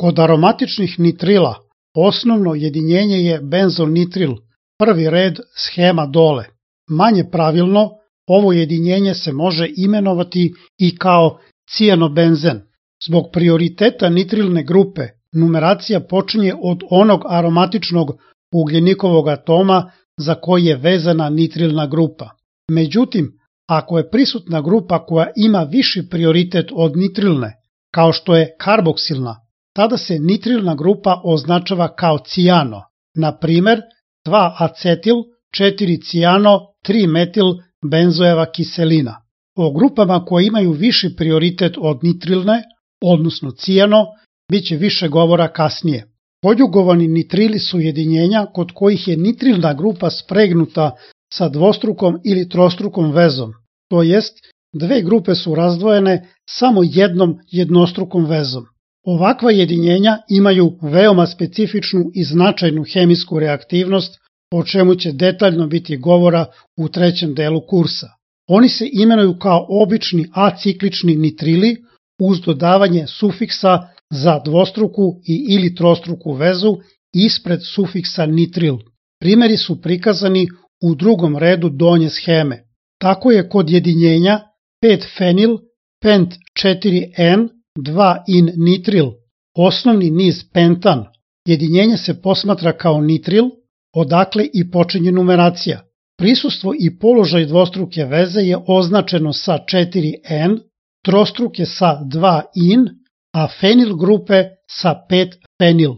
Kod aromatičnih nitrila osnovno jedinjenje je benzonitril, prvi red shema dole. Manje pravilno, ovo jedinjenje se može imenovati i kao cijanobenzen. Zbog prioriteta nitrilne grupe, numeracija počinje od onog aromatičnog ugljenikovog atoma za koji je vezana nitrilna grupa. Međutim, ako je prisutna grupa koja ima viši prioritet od nitrilne, kao što je karboksilna, tada se nitrilna grupa označava kao cijano, na primer 2-acetil, 4-cijano, 3-metil benzojeva kiselina. O grupama koje imaju viši prioritet od nitrilne, odnosno cijano, bit će više govora kasnije. Konjugovani nitrili su jedinjenja kod kojih je nitrilna grupa spregnuta sa dvostrukom ili trostrukom vezom, to jest dve grupe su razdvojene samo jednom jednostrukom vezom. Ovakva jedinjenja imaju veoma specifičnu i značajnu hemijsku reaktivnost, o čemu će detaljno biti govora u trećem delu kursa. Oni se imenuju kao obični aciklični nitrili uz dodavanje sufiksa za dvostruku i ili trostruku vezu ispred sufiksa nitril. Primeri su prikazani u drugom redu donje sheme. Tako je kod jedinjenja 5-fenil, pent 4N, 2-in nitril, osnovni niz pentan. Jedinjenje se posmatra kao nitril, odakle i počinje numeracija. Prisustvo i položaj dvostruke veze je označeno sa 4N, trostruke sa 2-in, a fenil grupe sa 5-fenil.